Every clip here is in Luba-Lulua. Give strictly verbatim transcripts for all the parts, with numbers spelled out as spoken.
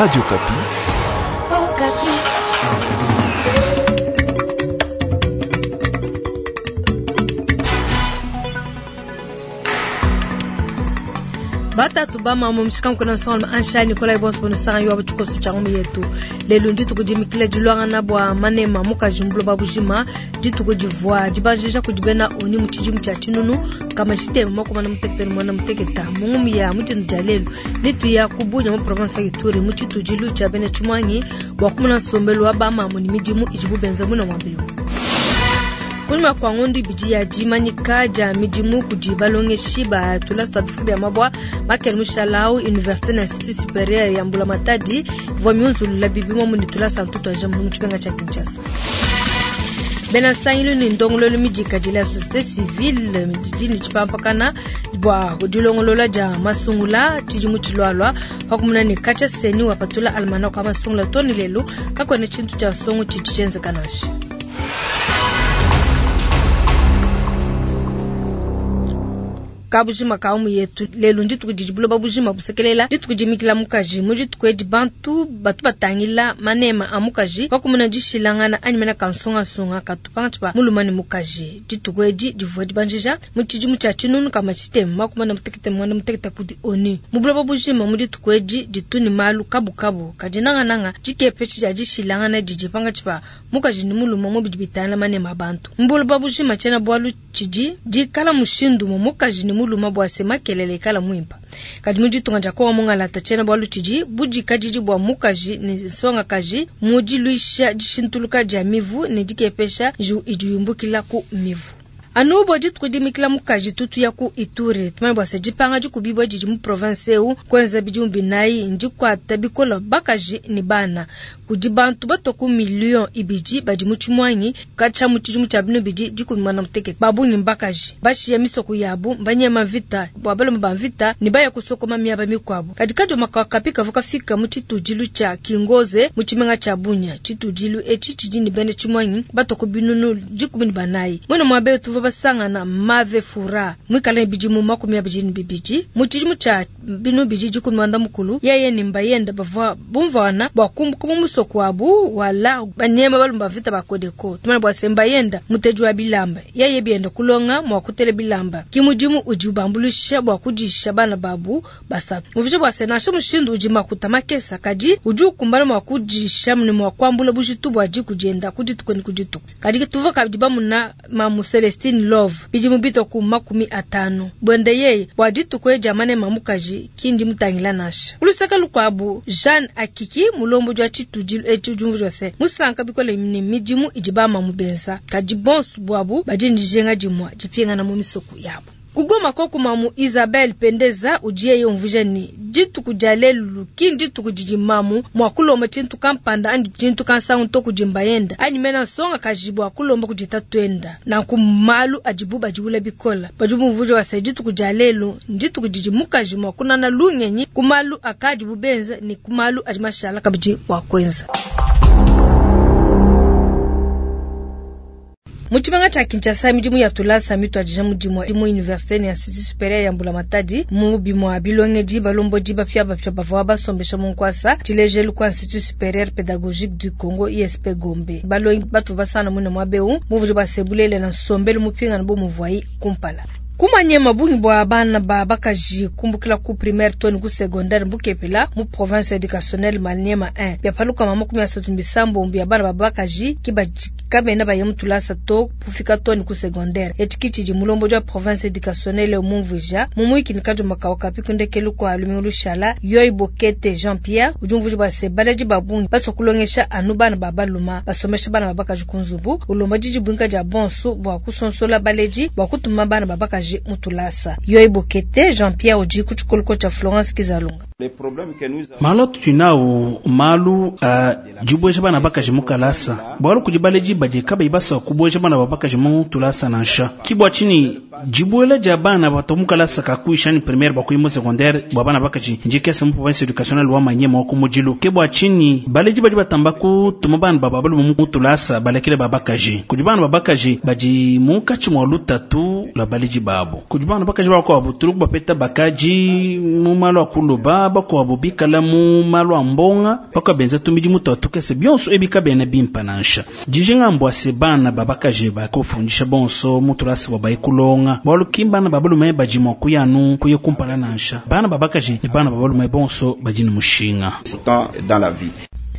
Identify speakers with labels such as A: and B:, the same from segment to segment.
A: Radio Okapi.
B: Oh,
C: Batatu bamama mushikanku na nsonga ansha Nikolai Boss bono sanga yo abuchikoso changu yetu lelo ndituku dimikila dilwangana bua manema mukaji mbuloba bujima dituku divua dibanjija kudi bena oni mu tshidimu tshia tshinunu kama tshitema makumi mutekete ne muanda muteketa mu ngumu ya mutshindi dia lelu nituya ku Bunia mu province ya Ituri mu tshitudilu tshia bena tshimuangi bua kumona nsombelu wa bamamu ne midimu idibu benza muna muaba eu. Kunyima kua ngondo ibidi ya dimanyika dia midimu kudi balongeshi ba tulasa tua bifu bia mabua Makele Mushalau Université na Institut Supérieur ya Mbulamatadi ivua miunzulula bibi muamu ne tulasa ntutu aja mu tshimenga tshia Kinshasa. Bena nsangilu ne ndongoluelu midikadile ya société civile didi ne tshipampakana bua dilongolola dia masungula tshidimu tshilualua pakumuna ne katshia seni wapatula almanach wa masungula too ne lelu kakuena tshintu tshia nsongo tshidi tshienzeka nansha. Kabujima ka umu yetu lelu ndituku didi buloba bujima busekelela dituku dimikila mukaji mu dituku edi bantu batu batangila manema a mukaji pakumuna dishilangana anyi mena kansungasunga katu pankatshi pa muluma ne mukaji dituku edi divua dibanjija mu tshidimu tshia tshinunu kama tshitema makumi ane mutekete muanda mutekete kudi ONU mu buloba bujima mu dituku edi ditu ne malu kabukabu kadi nangananga dikepetshi dia dishilangana didi pankatshi pa mukaji ne muluma mu bidi bitangila manema a bantu mu buloba bujima tshiena bualu tshidi dikala mushindu mu mukaji ne muluma bua se makelele ikala muimpa kadi mu ditunga dia Kongo mungalata tshiena bualu tshidi budikadidi bua mukaji ne nsongakaji mu diluisha dishintuluka dia mivu ne dikepesha njiwu idi yumbukila ku mivu. Anu bua dituku dimikila mukaji tutu ya ku Ituri tumanye bua se dipanga dikubibua didi mu province eu kwenza bidimu binayi ndikuata bikola bakaji ne bana kudi bantu batua ku million ibidi badi mu tshimuangi katshia mu tshidimu tshia binu bidi dikumi muanda mutekete babungi mbakaji bashiya misoko yabu mbanyema mvita bua balume ba mvita ne baya kusokoma miaba mikuabu kadi kadioma kapi kavua kafika mu tshitudilu tshia Kingoze mu tshimenga tshia Bunia tshitudilu etshi tshidi ne bena tshimuangi batua ku binunu dikumi ne banayi mwene muaba tuvua basangana Mave Fura mwikale ne bidimu makumi abidi ne bibidi mu tshidimu tshia binu bidi dikumi muanda mukulu yeye ne mbayenda bavua bumvuana bua kumbuka mu musoko wabu wala banyema balume ba mvita ba Kodeko tumane bua se mbayenda muteji wa bilamba yeye bienda kulonga mua kutela bilamba ki mudimu udi ubambuluisha bua kudisha bana babu basatu muvije bua se nansha mushindu udi makuta makesa kadi udi ukumbana mua kudisha ne mua kuambula bujitu bua diku dienda ku dituku ne ku dituku kadi tuvua kabidi bamuna mamu Celestine Love bidimu bitwa ku makumi atanu bwende yeye bua dituku edi manema mukaji kindi mutangila nansha ulusaka lukuabu Jeanne Akiki mulombo jwa tshitudilu etshi udi umvua se musanka bikole ne midimu idi bamamu benza kadi bonso buabu badi ne dijinga dimue dipingana mu misoko yabu. Kugoma koku mamu Isabelle Pendeza udi yeye umvuija ne dituku dia lelu ki ndituku didi mamu mua kulomba tshintu kampanda anyi tshintu kansangu to kudi mbayenda anyi mena nsongakaji bua kulomba kudi tatuenda nanku malu adibu badiwula bikola badi bumvuija bua se dituku dia lelu ndituku didi mukaji mua kunana lungenyi ku malu akadibu benza ne ku malu adi mashala kabidi bua kuenza. Mu tshimenga tshia Kinshasa midimu ya tulasa mituadija mudimu mu université ne institut supérieur ya Mbulamatadi mu bimua bilongedi balombodi bapia bapia bavua basombesha mu nkuasa tshilejelu ku institut supérieur pédagogique du Congo I S P Gombe balongi batu basana mune muaba eu muvudi basebulele na nsombelu mupingana bo muvuayi kumpala. Kumanye mabungi bua bana ba bakaji kumbukila ku primaire to ne ku secondaire mbukepela mu province éducationnelle Maniema un bia paluka mama makumi asatu misambo bia bana ba bakaji ki badi kabena baye mu tulasa to kufika to ne ku secondaire etshi tshidi mulombo wa province éducationnelle mumvuija mu mwiki ne kadioma kawa kapi kundekelu kwa lumingu lushala Yoyi Bokete Jean Pierre udi umvuija bua se baledi ba bungi basua kulongesha anu bana ba baluma basomesha bana ba bakaji ku nzubu ulomba didi buinka dia bonso bua kusonsola baledi bua kutuma bana ba bakaji mutulasa Yoyi Bokete Jean Pierre udi ku tshikoloko tshia Florence Kizalunga.
D: Malu atudi nawu malu a dibueja bana bakaji mu kalasa bualu kudi baledi badi kabayi basua kubueja bana ba bakaji mu tulasa nansha ki bua tshinyi dibuela dia bana bato mu kalasa ka kuisha ni primaire bua kuyi mu secondaire bua bana bakaji ndikese mu province éducationnelle wa Maniema wa ku mudilu ke bua tshinyi baledi badi batamba kutuma bana ba balume mu tulasa balekele ba bakaji kudi bana ba bakaji badi munkatshi mua lutatu lua baledi babu. babu. Kudi bana bakaji bakuabu tuluku bapeta bakaji mu malu a kuloba, bakuabu bikala mu malu a mbonga, bakuabu benza tumidimu twa tukese bionso ebi kabena bimpa nansha. Dijinga mbua se bana ba bakaji bakufundisha bonso mu tulasa bua baye kulonga, bualu ki bana ba balume badi mua kuya anu kuya kumpala nansha. Bana ba bakaji ne bana ba balume bonso badi ne mushinga.
A: Dans la vie.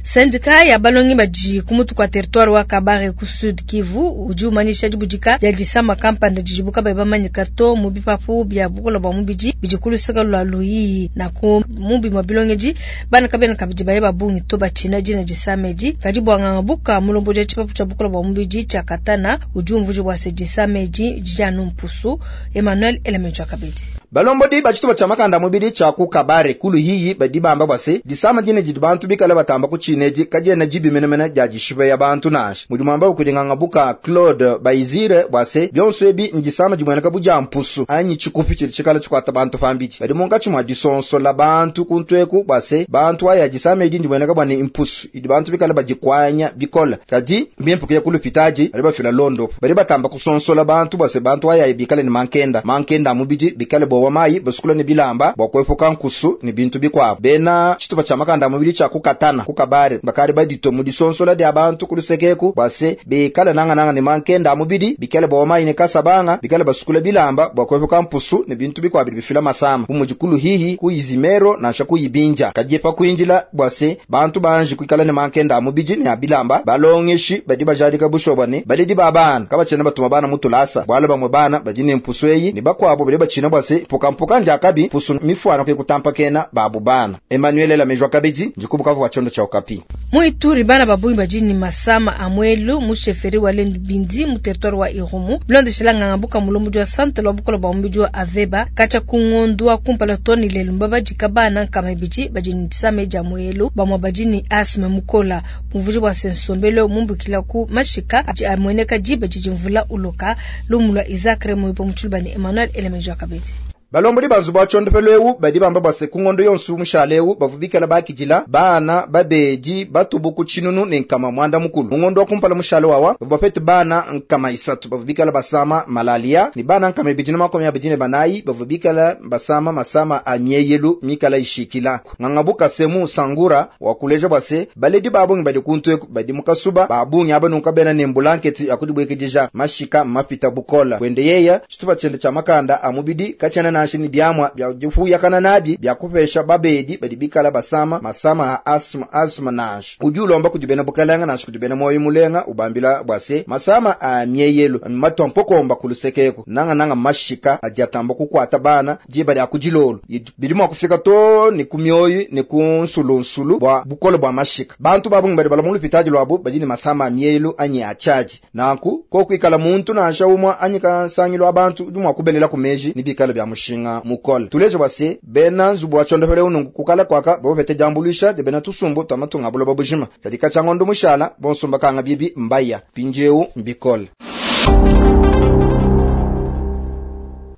C: Sendika ya balongi badi ku mutu kwa territoire wa Kabare ku Sud Kivu udi umanyisha dibudika dia disama kampanda didibu kabayi bamanyika to mu bipapu bia bukola bua mubidi bidi ku luseke lua Luiyi na ku mu bimue bilongedi bana kabena kabidi baye ba bungi to batshina dina disama edi. Kadi bua nganga buka mulombodi wa tshipapu tshia bukola bua mubidi tshia Katana udi umvuija bua se disama edi didi anu mpusu. Emmanuel Elementu kabidi.
E: Balombodi ba tshitupa tshia makanda mubidi tshia ku Kabare ku Luhihi badi bamba bua se disama dine didi bantu bikale batamba kutshina edi kadiena dibi menemene dia dishipa ya bantu nansha. Mudi muamba kudi nganga buka Claude Baizire bua se bionso ebi ndisama dimueneka bu dia mpusu anyi tshikupi tshidi tshikala tshikuata bantu pambidi. Badi munkatshi mua disonsola bantu kuntu eku bua se bantu aya disama edi ndimueneka bua ne mpusu idi bantu bikale badikwanya bikole. Kadi mbimpe kuya ku lupitadi badi bafila londopo. Badi batamba kusonsola bantu bua se bantu aya bikale ne mankenda mankenda a mubidi bikale bowa mayi basukula ne bilamba bua kuepuka nkusu ne bintu bikuabu. Bena tshitupa tshia makanda a mubidi tshia kukatana ku Kabare bakari badito mu disonsola dia bantu ku lusekeku bua se bikale nangananga ne mankenda a mubidi bikale bowa mayi ne kasabanga bikale basukula bilamba bua kuepuka mpusu ne bintu bikuabu bidi bifila masama bu mudi ku Luhihi ku Izimero nansha ku Ibinja. Kadi pa kuindila bua se bantu banji kuikala ne mankenda a mubidi ne a bilamba balongeshi badi bajadika bushoba ne baledi ba bana kabatshiena batuma bana mu tulasa bualu bamue bana badi ne mpusu eyi ne bakuabu badi batshina bua se mpukampuka ndiakabi mpusu mifuana kuye kutampakena babu bana. Emmanuel Lamejwa kabidi ndikubukavu wa tshiondo tshia Okapi.
C: Mu Ituri bana babungi badi ne masama a muelu mu chefferie wa Lendu Bindi mu territoire wa Irumu bilondeshela nganga buka mulombodi wa centre wa bukola bua mubidi wa Aveba katshia ku ngondu wa kumpala to ne lelu mbabadika bana nkama ibidi badi ne disama dia muelu bamue badi ne asthme mukola bumvuija bua se nsombelu mumbukila ku mashika adi amueneka diba didi mvula uloka. Lumu lua Isaac Remoyo mu ne Emmanuel Elemenjo kabidi.
E: Balombodi ba nzubu wa tshondopelo ewu badi bamba bua se ku ngondo yonso mushale ewu bavua bikala bakidila bana babedi batubu ku tshinunu ne nkama mwanda mukulu. Mu ngondo wa kumpala mushale wawa bavua bapete bana nkama isatu bavua bikala basama malaria ne bana nkama ibidi na makumi abidi ne banayi bavua bikala basama masama a mieyelu mikala ishikila. Ngangabuka semu sangura wa kuleja bua se baledi babungi badi kuntu eku badi mu kasuba babungi aba nunka bena ne mbulanketi ya kudibwekedija mashika mapita bukola. Wende yeya tshitupa tshiende tshia makanda a mubidi katshiena na ni biamwa bya difuyakana nabi bya kupesha babedi badi bikala basama masama a asma asma nansha. Udi ulomba kudi bena bukalanga nansha kudi bena moyo mulenga ubambila bua se masama a mieyelu matwa mpokomba kulusekeko nanga nanga mashika adi atamba kukwata bana diba lya kudilolo bidi mua kufika to ne ku mioyo ne ku nsulunsulu bua bukole bua mashika. Bantu babungi badi bala mu lupitadi lwabo badi ne masama a mieyelu anyi a tshiadi nanku kokuikala muntu nansha umwa anyi kansangilo wa bantu udi mua kubelela ku meji ne bikala bya mushinga mukole. Tuleje bua se bena nzubu wa tshondopelo unungu kukala kwaka bapete diambuluisha de bena tusumbu twa matunga buloba bujima. Kadi katshia ngondo mushala bonso mbakanga bibi mbaya mpindieu mbikole.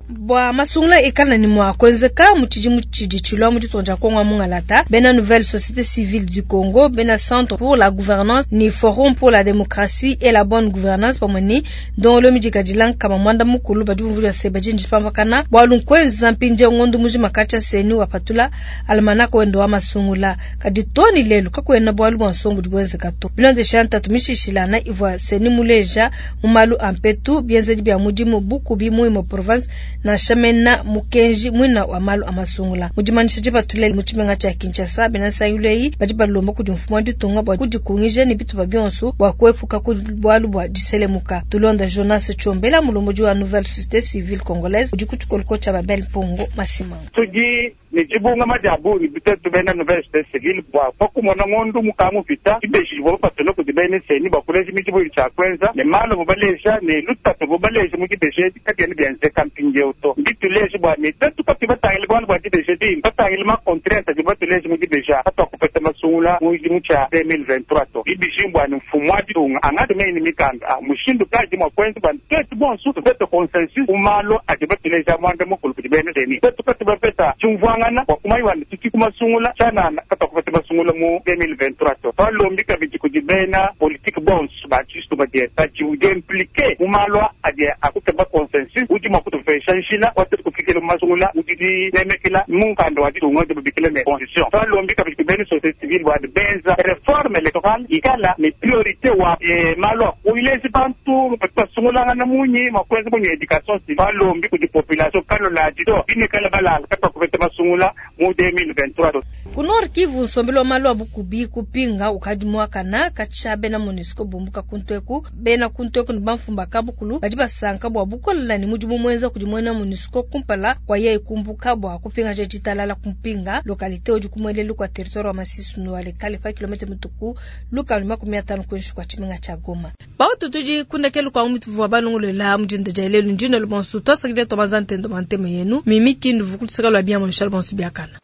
C: Bua masungula ikala ni mwa kuenzeka mu tshidimu tshidi tshilua mu ditunga dia Kongo mungalata bena Nouvelle Société Civile du Congo bena Centre pour la Gouvernance ni Forum pour la Démocratie et la Bonne Gouvernance pamue ni ndongolo midikadila nkama mwanda mukulu badi bumvuija se badi ndipambakana bualu nkuenza mpindieu ngondo mujima katshia seni wapatula almanaka wende wa masungula kadi toni lelu kakuena bualu bua nsongo budi buenzeka to bilondeshela ntatu mishishilana ivua seni muleja mu malu a mpetu bienzedi bia mudimu bukubi mu imue province na shamena mukenji mwina wa malu amasungula mudimanyisha dipatula mu tshimenga tshia Kinshasa bena nsangilo badi balomba kudi mfumu wa ditunga bua kudikungija ne bitupa bionso bua kuepuka ku bualu bua diselemuka. Tulonda Jonas Tchombela mulombodi wa Nouvelle Société Civile Congolaise udi ku tshikoloko tshia Babel Mpongo Masimanga.
F: Tudi ne dibungama dia bungi bitetu bena Nouvelle Société Civile bua pa kumona ngondo mukangu pita dibeji divua bapatula kudi bena seni bua kuleja midimu tshia kuenza ne malu bubaleja ne lutatu bubaleja mu dibeji edi kabiena bienzeka mpindieu to. Mbituleje bua ne tetu katu batangile bualu bua dibeji edi batangile ma contrainte adi batuleje mu dibeji katuakupeta masungula mu tshidimu tshia deux mille vingt-trois to. Ibiji bua ne mfumu wa ditunga angatume ne mikanda mushindu kayi mua kuenza bua tetu bonso tupete consensus ku malu adi batuleja muanda mukulu kudi bena seni tetu katu bapeta tshiumvuangana bua kumanya ne tuti ku masungula tshianana katuakupeta masungula mu deux mille vingt-trois to. Twalombi kabidi kudi bena politique bonso ba tshistu badi badi impliqué mu malu adi akukeba consensus udi mua kutupesha njila wa tuetu kufikila mu masungula mu didinemekela mu mukanda wa ditunga udi babikila ne constitution. Twalombi kabidi bena société civile bua benza réforme électorale ikala ne priorité wa malu a kuilezi bantu badi basungulangana munyi mua kuenza munyi éducation civile. Twalombi kudi population kanuladi to binuikala balala katwakupeta masungula mu deux mille vingt-trois.
C: Ku Nord Kivu nsombelu wa malu a bukubi kupinga ukadi muakana katshia bena MONUSCO bumbuka kuntu eku. Bena kuntu eku ne bamfumba kabukulu badi basanka bua bukolela ne mudimu muenza kudi muena MONUSCO kumpala kua yeye kumbuka bua kupingaja ditalala kumpinga localité udi ku muelelu kua territoire wa Masisi no Walikale pa kilomètre mituku lukama makumi atanu kuinshi kua tshimenga tshia Goma. Bautu tudi kundekelu kwa mutuvua balongolela mudinda dia lelu ndina lubansu twasakidila twabanza ntendo banteme yenu mimi kindu vukutisaka lwa biamo nshal bonso biakana.